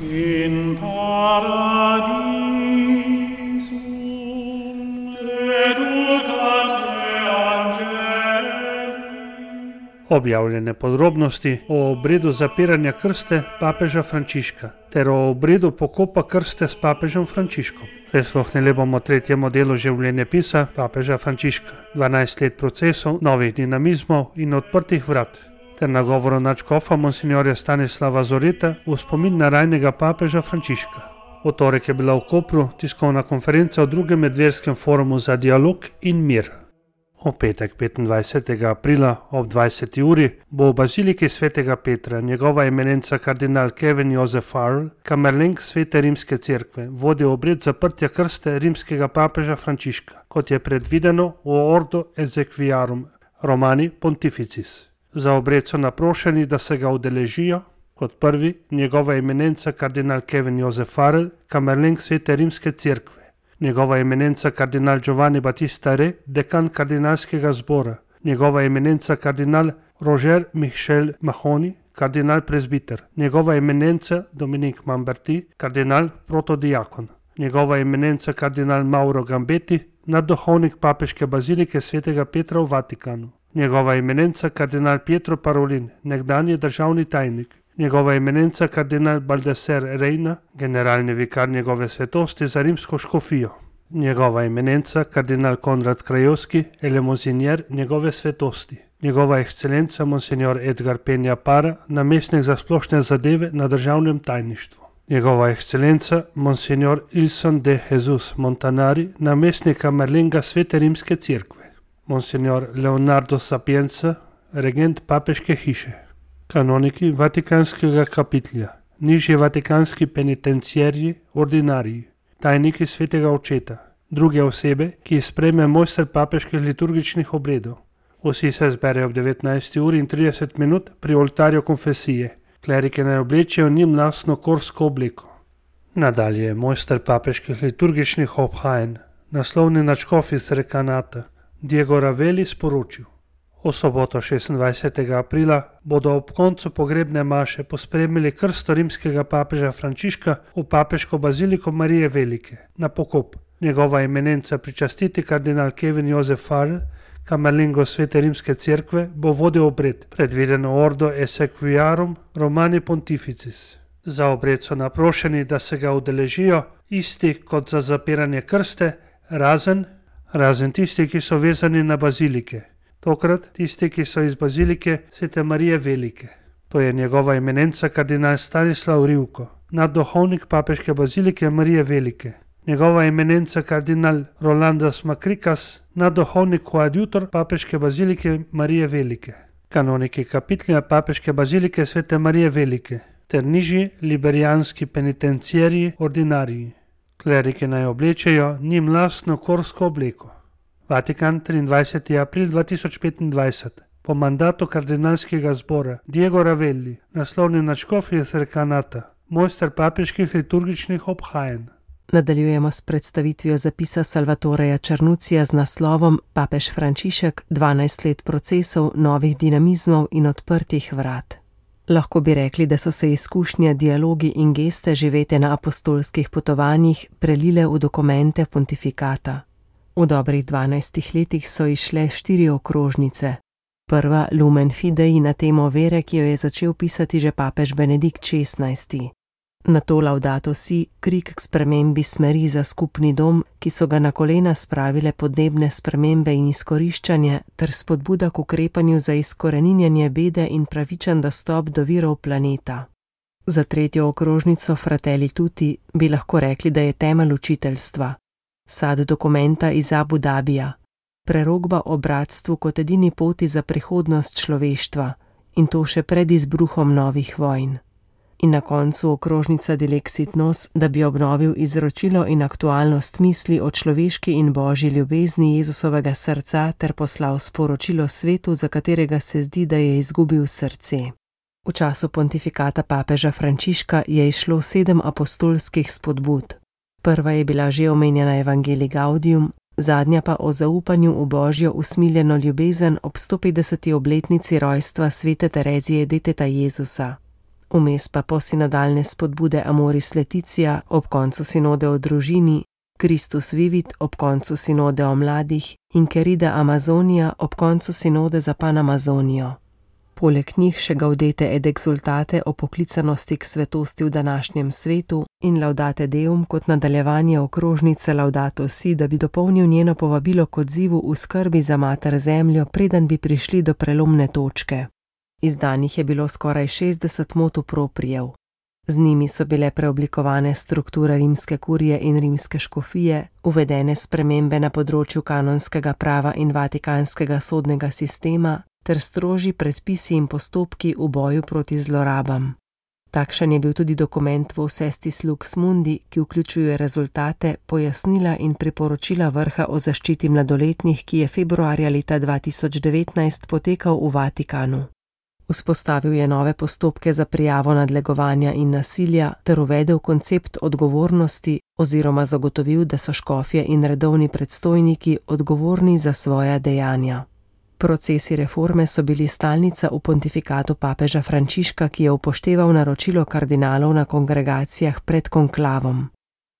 In paradisum reducat te angeli. Objavljene podrobnosti o obredu zapiranja krste papeža Frančiška ter o obredu pokopa krste s papežem Frančiškom. Prisluhnili bomo tretjemu delu življenjepisa papeža Frančiška, 12 let procesov, novih dinamizmov in odprtih vrat, ter nagovoru nadškofa monsinjorja Stanislava Zoreta v spomin na rajnega papeža Frančiška. V torek je bila v Kopru tiskovna konferenca o drugem medverskem forumu za dialog in mir. V petek 25. aprila ob 20. uri bo v baziliki svetega Petra njegova eminenca kardinal Kevin Joseph Farrell, kamerlenk Svete rimske cerkve, vodil obred zaprtja krste rimskega papeža Frančiška, kot je predvideno v Ordo Exequiarum Romani Pontificis. Za obred so naprošeni, da se ga udeležijo kot prvi njegova eminenca kardinal Kevin Joseph Farrell, kamerlenk Svete rimske cerkve, njegova eminenca kardinal Giovanni Battista Re, dekan kardinalskega zbora, njegova eminenca kardinal Roger Michel Mahoni, kardinal prezbiter, njegova eminenca Dominique Mamberti, kardinal protodiakon, njegova eminenca kardinal Mauro Gambetti, nadduhovnik papeške bazilike svetega Petra v Vatikanu, njegova eminenca kardinal Pietro Parolin, nekdanji državni tajnik, njegova eminenca kardinal Baldaser Reina, generalni vikar njegove svetosti za rimsko škofijo, njegova eminenca kardinal Konrad Krajewski, elemozinier njegove svetosti, njegova ekscelenca monsignor Edgar Peña Para, namestnik za splošne zadeve na državnem tajništvu, njegova ekscelenca monsignor Ilson de Jesus Montanari, namestnik kamerlenga Svete rimske cerkve, monsignor Leonardo Sapienza, regent papeške hiše, kanoniki Vatikanskega kapitlja, nižji vatikanski penitenciarji, ordinariji, tajniki svetega očeta, druge osebe, ki jih sprejme mojster papeških liturgičnih obredov. Vsi se zberejo ob 19. uri in 30 minut pri oltarju konfesije. Klerike naj oblečejo njim lastno korsko obleko. Nadalje mojster papeških liturgičnih obhajanj, naslovni nadškof iz Rekanata, Diego Ravelli, sporočil: v soboto 26. aprila bodo ob koncu pogrebne maše pospremili krsto rimskega papeža Frančiška v papeško baziliko Marije Velike na pokop. Njegova eminenca pričastiti kardinal Kevin Joseph Farrell, kamerlengo Svete rimske cerkve, bo vodil obred, predviden v Ordo Exequiarum Romani Pontificis. Za obred so naprošeni, da se ga udeležijo isti kot za zapiranje krste, razen tisti, ki so vezani na bazilike. Tokrat tisti, ki so iz bazilike Svete Marije Velike. To je njegova eminenca kardinal Stanislav Rivko, nadduhovnik papeške bazilike Marije Velike, njegova eminenca kardinal Rolandas Makrikas, nadduhovnik koadjutor papeške bazilike Marije Velike, kanoniki kapitlja papeške bazilike Svete Marije Velike ter nižji liberijanski penitenciarji, ordinariji. Klerike naj oblečejo njim lastno korsko obleko. Vatikan, 23. april 2025. Po mandatu kardinalskega zbora Diego Ravelli, naslovni nadškof iz Rekanata, mojster papeških liturgičnih obhajanj. Nadaljujemo s predstavitvijo zapisa Salvatoreja Čarnucija z naslovom Papež Frančišek, 12 let procesov, novih dinamizmov in odprtih vrat. Lahko bi rekli, da so se izkušnje, dialogi in geste živete na apostolskih potovanjih prelile v dokumente pontifikata. V dobrih 12 letih so izšle 4 okrožnice. Prva Lumen Fidei na temo vere, ki jo je začel pisati že papež Benedikt XVI. Nato Laudato Si, krik k spremembi smeri za skupni dom, ki so ga na kolena spravile podnebne spremembe in izkoriščanje, ter spodbuda k ukrepanju za izkoreninjanje bede in pravičen dostop do virov planeta. Za tretjo okrožnico Fratelli Tutti bi lahko rekli, da je temelj učiteljstva. Sad dokumenta iz Abu Dabija, prerokba o bratstvu kot edini poti za prihodnost človeštva, in to še pred izbruhom novih vojn. In na koncu okrožnica Dilexit Nos, da bi obnovil izročilo in aktualnost misli o človeški in božji ljubezni Jezusovega srca ter poslal sporočilo svetu, za katerega se zdi, da je izgubil srce. V času pontifikata papeža Frančiška je izšlo 7 apostolskih spodbud. Prva je bila že omenjena Evangelii Gaudium, zadnja pa o zaupanju v božjo usmiljeno ljubezen ob 150. obletnici rojstva svete Terezije Deteta Jezusa. Vmes pa posinodalne spodbude Amoris Laetitia ob koncu sinode o družini, Christus Vivit ob koncu sinode o mladih in Querida Amazonia ob koncu sinode za Panamazonijo. Poleg njih še Gaudete et exsultate o poklicanosti k svetosti v današnjem svetu in Laudate Deum kot nadaljevanje okrožnice Laudato Si, da bi dopolnil njeno povabilo k odzivu v skrbi za mater zemljo, preden bi prišli do prelomne točke. Izdanih je bilo skoraj 60 motu proprijev. Z njimi so bile preoblikovane strukture rimske kurije in rimske škofije, uvedene spremembe na področju kanonskega prava in vatikanskega sodnega sistema ter strožji predpisi in postopki v boju proti zlorabam. Takšen je bil tudi dokument Vocestis Lux Mundi, ki vključuje rezultate, pojasnila in priporočila vrha o zaščiti mladoletnih, ki je februarja leta 2019 potekal v Vatikanu. Vzpostavil je nove postopke za prijavo nadlegovanja in nasilja ter uvedel koncept odgovornosti oziroma zagotovil, da so škofje in redovni predstojniki odgovorni za svoja dejanja. Procesi reforme so bili stalnica v pontifikatu papeža Frančiška, ki je upošteval naročilo kardinalov na kongregacijah pred konklavom.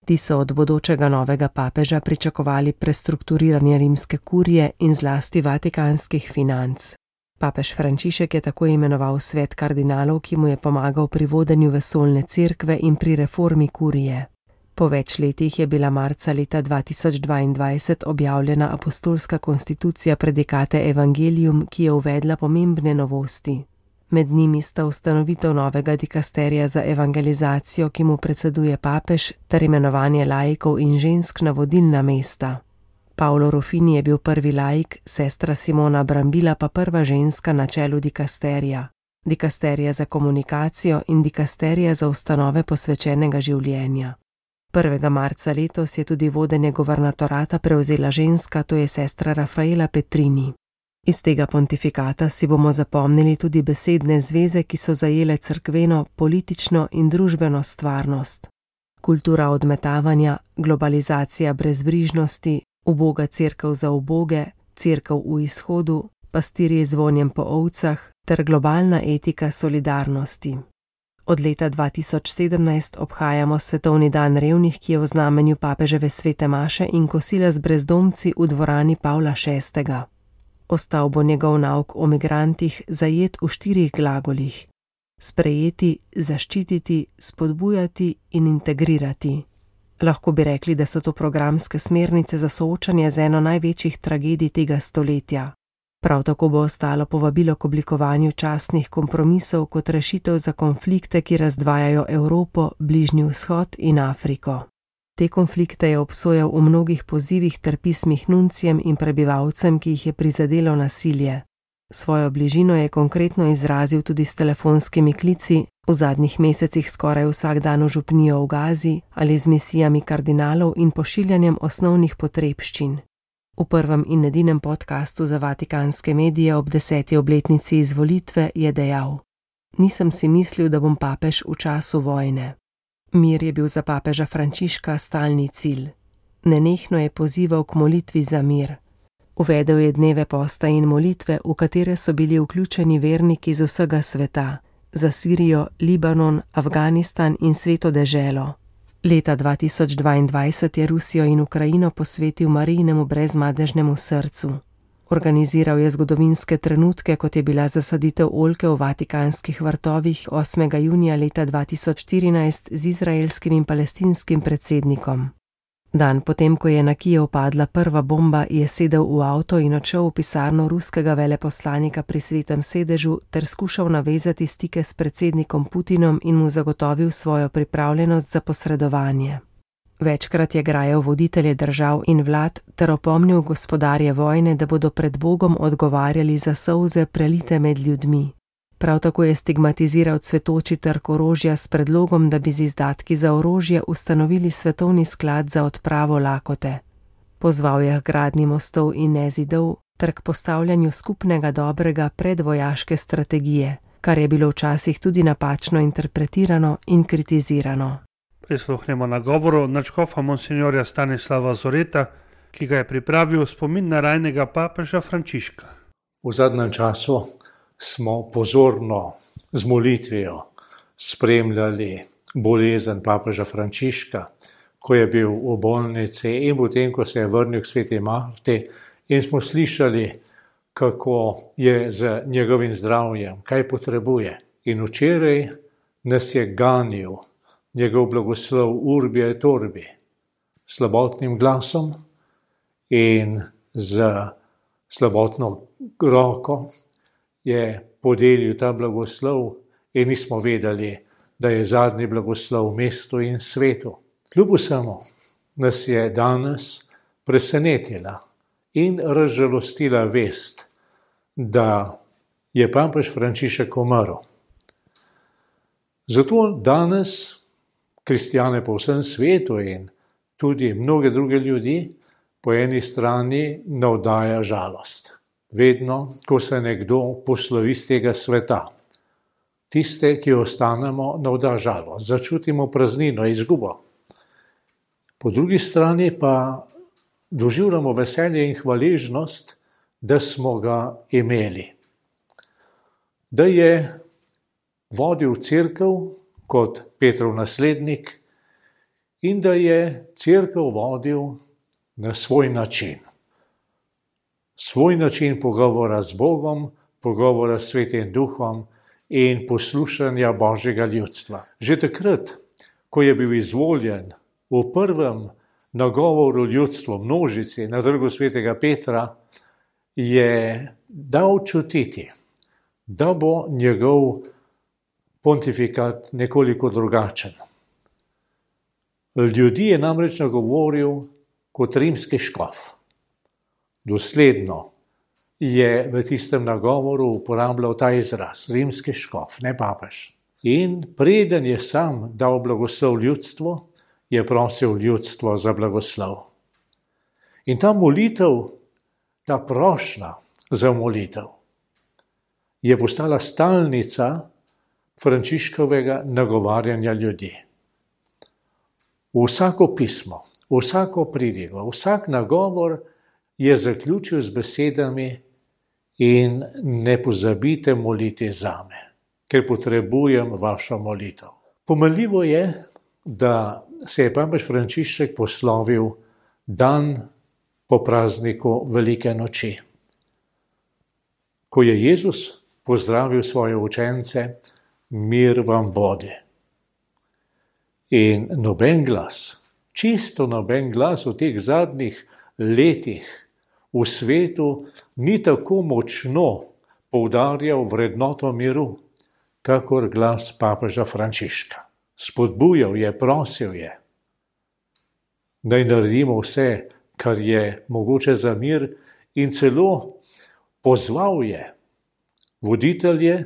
Ti so od bodočega novega papeža pričakovali prestrukturiranje rimske kurije in zlasti vatikanskih financ. Papež Frančišek je tako imenoval svet kardinalov, ki mu je pomagal pri vodenju vesoljne cerkve in pri reformi kurije. Po več letih je bila marca leta 2022 objavljena apostolska konstitucija Predikate Evangelium, ki je uvedla pomembne novosti. Med njimi sta ustanovitev novega dikasterija za evangelizacijo, ki mu predseduje papež, ter imenovanje laikov in žensk na vodilna mesta. Paolo Ruffini je bil prvi laik, sestra Simona Brambila pa prva ženska na čelu dikasterija. Dikasterija za komunikacijo in dikasterija za ustanove posvečenega življenja. 1. marca letos je tudi vodenje guvernatorata prevzela ženska, to je sestra Rafaela Petrini. Iz tega pontifikata si bomo zapomnili tudi besedne zveze, ki so zajele cerkveno, politično in družbeno stvarnost. Kultura odmetavanja, globalizacija brezbrižnosti, uboga cerkev za uboge, cerkev v izhodu, pastirji z vonjem po ovcah ter globalna etika solidarnosti. Od leta 2017 obhajamo Svetovni dan revnih, ki je v znamenju papeževe svete maše in kosila z brezdomci v dvorani Pavla VI. Ostal bo njegov nauk o migrantih zajet v 4 glagolih: sprejeti, zaščititi, spodbujati in integrirati. Lahko bi rekli, da so to programske smernice za soočanje z eno največjih tragedij tega stoletja. Prav tako bo ostalo povabilo k oblikovanju častnih kompromisov kot rešitev za konflikte, ki razdvajajo Evropo, Bližnji vzhod in Afriko. Te konflikte je obsojal v mnogih pozivih ter pismih nuncijem in prebivalcem, ki jih je prizadelo nasilje. Svojo bližino je konkretno izrazil tudi s telefonskimi klici, v zadnjih mesecih skoraj vsak dan v župnijo v Gazi ali z misijami kardinalov in pošiljanjem osnovnih potrebščin. V prvem in edinem podcastu za vatikanske medije ob 10. obletnici izvolitve je dejal: Nisem si mislil, da bom papež v času vojne. Mir je bil za papeža Frančiška stalni cilj. Nenehno je pozival k molitvi za mir. Uvedel je dneve posta in molitve, v katere so bili vključeni verniki z vsega sveta, za Sirijo, Libanon, Afganistan in Sveto deželo. Leta 2022 je Rusijo in Ukrajino posvetil Marijinemu brezmadežnemu srcu. Organiziral je zgodovinske trenutke, kot je bila zasaditev oljke v vatikanskih vrtovih 8. junija leta 2014 z izraelskim in palestinskim predsednikom. Dan potem, ko je na Kijev padla prva bomba, je sedel v avto in odšel v pisarno ruskega veleposlanika pri Svetem sedežu ter skušal navezati stike s predsednikom Putinom in mu zagotovil svojo pripravljenost za posredovanje. Večkrat je grajal voditelje držav in vlad ter opomnil gospodarje vojne, da bodo pred Bogom odgovarjali za solze prelite med ljudmi. Prav tako je stigmatiziral cvetoči trg orožja s predlogom, da bi z izdatki za orožje ustanovili svetovni sklad za odpravo lakote. Pozval je k gradnji mostov in ne zidov ter k postavljanju skupnega dobrega predvojaške strategije, kar je bilo včasih tudi napačno interpretirano in kritizirano. Prisluhnemo nagovoru nadškofa monsinjorja Stanislava Zoreta, ki ga je pripravil v spomin na rajnega papeža Frančiška. V zadnjem času smo pozorno z molitvijo spremljali bolezen papeža Frančiška, ko je bil v bolnici in potem, ko se je vrnil k sveti Marti, in smo slišali, kako je z njegovim zdravjem, kaj potrebuje. In včeraj nas je ganil njegov blagoslov Urbi et Orbi, slabotnim glasom in z slabotno roko je podelil ta blagoslov in nismo vedeli, da je zadnji blagoslov mestu in svetu. Kljub vsemu nas je danes presenetila in razžalostila vest, da je papež Frančišek umrl. Zato danes kristjane po vsem svetu in tudi mnoge druge ljudi po eni strani navdaja žalost. Vedno, ko se nekdo poslovi z tega sveta, tiste, ki ostanemo, navda žalost, začutimo praznino, izgubo. Po drugi strani pa doživljamo veselje in hvaležnost, da smo ga imeli. Da je vodil cerkev kot Petrov naslednik in da je cerkev vodil na svoj način. Svoj način pogovora z Bogom, pogovora s Svetim Duhom in poslušanja Božjega ljudstva. Že takrat, ko je bil izvoljen v prvem nagovoru ljudstvu množici na trgu svetega Petra, je dal čutiti, da bo njegov pontifikat nekoliko drugačen. Ljudi je namreč nagovoril kot rimski škof. Dosledno je v tistem nagovoru uporabljal ta izraz, rimski škof, ne papež. In preden je sam dal blagoslov ljudstvu, je prosil ljudstvo za blagoslov. In ta molitev, ta prošnja za molitev, je postala stalnica Frančiškovega nagovarjanja ljudi. Vsako pismo, vsako pridigo, vsak nagovor je zaključil z besedami: in ne pozabite moliti zame, ker potrebujem vašo molitev. Pomenljivo je, da se je papež Frančišek poslovil dan po prazniku Velike noči, ko je Jezus pozdravil svoje učence: mir vam bodi. In noben glas, čisto noben glas v teh zadnjih letih v svetu ni tako močno poudarjal vrednoto miru, kakor glas papeža Frančiška. Spodbujal je, prosil je, naj naredimo vse, kar je mogoče za mir, in celo pozval je voditelje,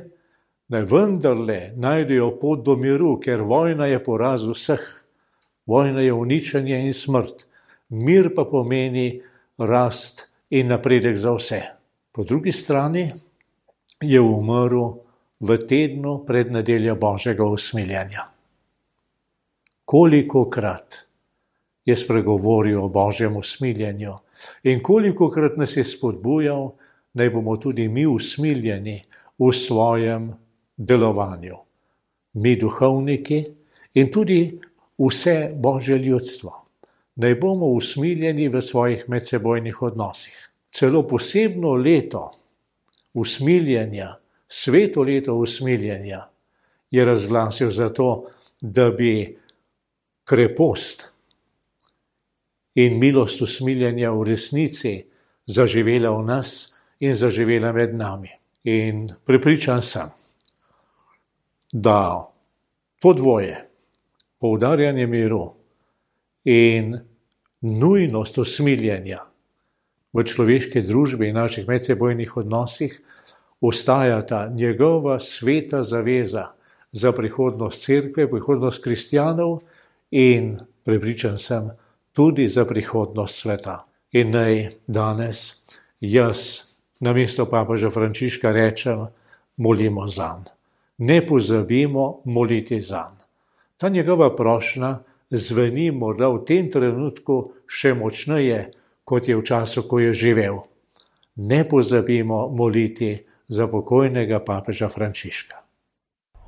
naj vendarle najdejo pot do miru, ker vojna je poraz vseh. Vojna je uničenje in smrt. Mir pa pomeni rast in napredek za vse. Po drugi strani je umrl v tednu pred nedeljo Božjega usmiljenja. Kolikokrat je spregovoril o Božjem usmiljenju in kolikokrat nas je spodbujal, naj bomo tudi mi usmiljeni v svojem delovanju. Mi duhovniki in tudi vse Božje ljudstvo. Naj bomo usmiljeni v svojih medsebojnih odnosih. Celo posebno leto usmiljenja, sveto leto usmiljenja, je razglasil zato, da bi krepost in milost usmiljenja v resnici zaživela v nas in zaživela med nami. In prepričan sem, da to dvoje, poudarjanje miru in nujnost usmiljenja v človeški družbi in naših medsebojnih odnosih ostajata njegova sveta zaveza za prihodnost cerkve, prihodnost kristjanov in prepričan sem tudi za prihodnost sveta. In naj danes jaz namesto papeža Frančiška rečem: molimo zanj. Ne pozabimo moliti zanj. Ta njegova prošnja zveni morda v tem trenutku še močneje, kot je v času, ko je živel. Ne pozabimo moliti za pokojnega papeža Frančiška.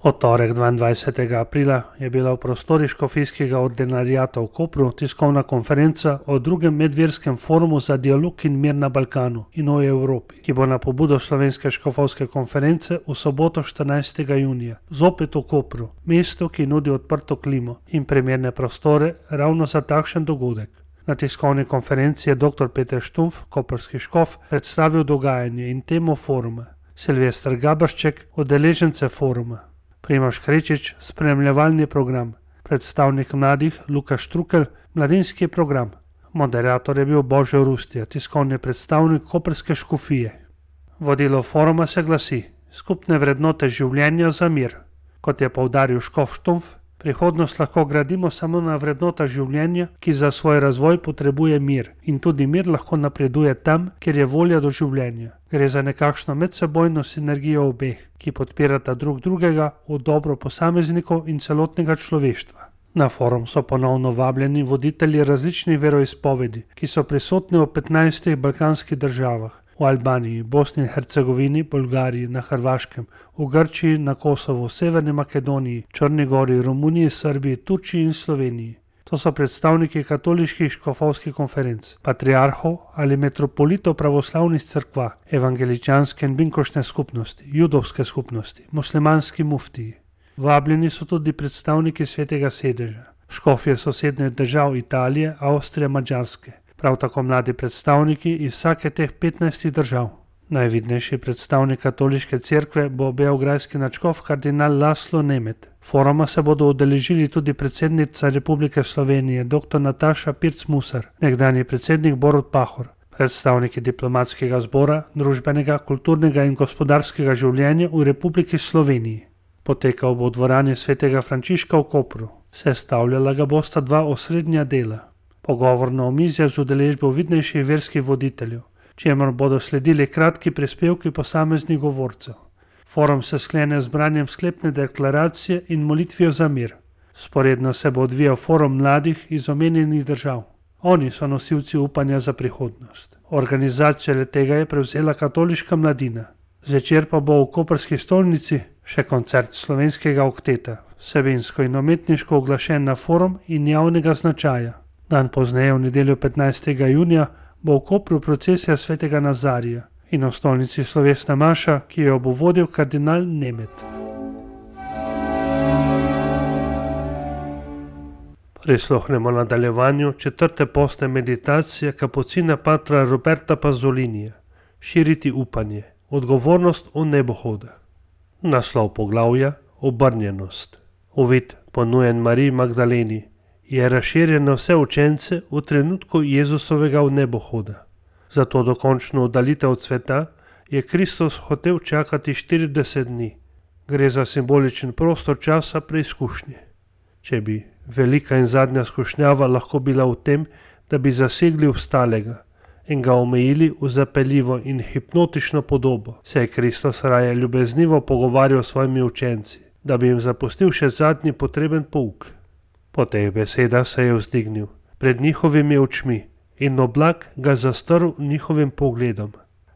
Od torek 22. aprila je bila v prostorih škofijskega ordinariata v Kopru tiskovna konferenca o drugem medverskem forumu za dialog in mir na Balkanu in o Evropi, ki bo na pobudo Slovenske škofovske konference v soboto 14. junija zopet v Kopru, mesto, ki nudi odprto klimo in primerne prostore ravno za takšen dogodek. Na tiskovni konferenci je dr. Peter Štumpf, koprski škof, predstavil dogajanje in temo foruma, Silvester Gabršček, udeležence foruma, Primož Krečič, spremljevalni program, predstavnik mladih Luka Štrukelj, mladinski program. Moderator je bil Božo Rustija, tiskovni predstavnik koprske škofije. Vodilo foruma se glasi: skupne vrednote življenja za mir. Kot je poudaril škof Štumpf, prihodnost lahko gradimo samo na vrednotah življenja, ki za svoj razvoj potrebuje mir, in tudi mir lahko napreduje tam, kjer je volja do življenja. Gre za nekakšno medsebojno sinergijo obeh, ki podpirata drug drugega v dobro posameznikov in celotnega človeštva. Na forum so ponovno vabljeni voditelji različnih veroizpovedi, ki so prisotni v 15 balkanskih državah, v Albaniji, Bosni in Hercegovini, Bolgariji, na Hrvaškem, v Grčiji, na Kosovu, Severni Makedoniji, Črni gori, Romuniji, Srbiji, Turčiji in Sloveniji. To so predstavniki katoliških škofovskih konferenc, patriarhov ali metropolitov pravoslavnih cerkva, evangeličanske in binkošne skupnosti, judovske skupnosti, muslimanski muftiji. Vabljeni so tudi predstavniki Svetega sedeža, škofje sosednjih držav Italije, Avstrije, Madžarske, prav tako mladi predstavniki iz vsake teh 15 držav. Najvidnejši predstavnik katoliške cerkve bo beograjski nadškof kardinal Laslo Nemet. Foruma se bodo udeležili tudi predsednica Republike Slovenije dr. Nataša Pirc-Musar, nekdanji predsednik Borut Pahor, predstavniki diplomatskega zbora, družbenega, kulturnega in gospodarskega življenja v Republiki Sloveniji. Potekal bo v dvorani svetega Frančiška v Kopru. Sestavljala ga bosta dva osrednja dela. Pogovorno omizje z udeležbo vidnejših verskih voditeljev, čemur bodo sledili kratki prispevki posameznih govorcev. Forum se sklene z branjem sklepne deklaracije in molitvijo za mir. Sporedno se bo odvijal forum mladih iz omenjenih držav. Oni so nosilci upanja za prihodnost. Organizacijo letega je prevzela katoliška mladina. Zvečer pa bo v koprski stolnici še koncert slovenskega okteta, vsebinsko in umetniško oglašen na forum in javnega značaja. Dan pozneje, v nedeljo 15. junija, bo v Kopru procesija svetega Nazarija in v stolnici slovesna maša, ki jo bo vodil kardinal Nemet. Prisluhnemo nadaljevanju 4. postne meditacije kapucina patra Roberta Pazzolinija, Širiti upanje, odgovornost v nebohoda. Naslov poglavja: Obrnjenost. Uvid, ponujen Mariji Magdaleni, je razširjen na vse učence v trenutku Jezusovega vnebohoda. Za to dokončno oddalitev od sveta je Kristus hotel čakati 40 dni. Gre za simboličen prostor časa preizkušnje. Če bi velika in zadnja skušnjava lahko bila v tem, da bi zasegli obstalega in ga omejili v zapeljivo in hipnotično podobo, se je Kristus raje ljubeznivo pogovarjal s svojimi učenci, da bi jim zapustil še zadnji potreben pouk. Po teh besedah se je vzdignil pred njihovimi očmi in oblak ga zastrl njihovim pogledom.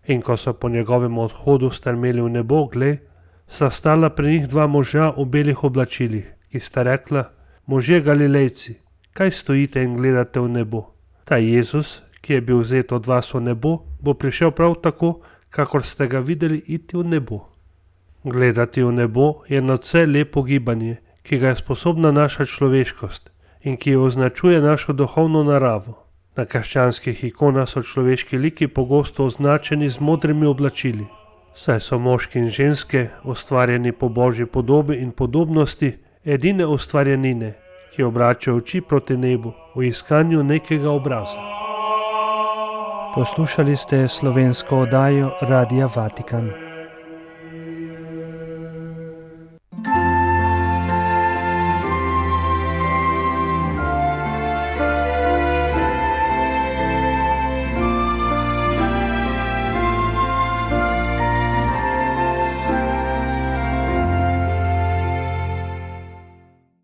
In ko so po njegovem odhodu strmeli v nebo, glej, sta stala pri njih dva moža v belih oblačilih, ki sta rekla: možje Galilejci, kaj stojite in gledate v nebo? Ta Jezus, ki je bil vzet od vas v nebo, bo prišel prav tako, kakor ste ga videli iti v nebo. Gledati v nebo je nadvse lepo gibanje, ki ga je sposobna naša človeškost in ki jo označuje našo duhovno naravo. Na krščanskih ikonah so človeški liki pogosto označeni z modrimi oblačili, saj so moški in ženske, ustvarjeni po Božji podobi in podobnosti, edine ustvarjenine, ki obračajo oči proti nebu v iskanju nekega obraza. Poslušali ste slovensko oddajo Radia Vatikan.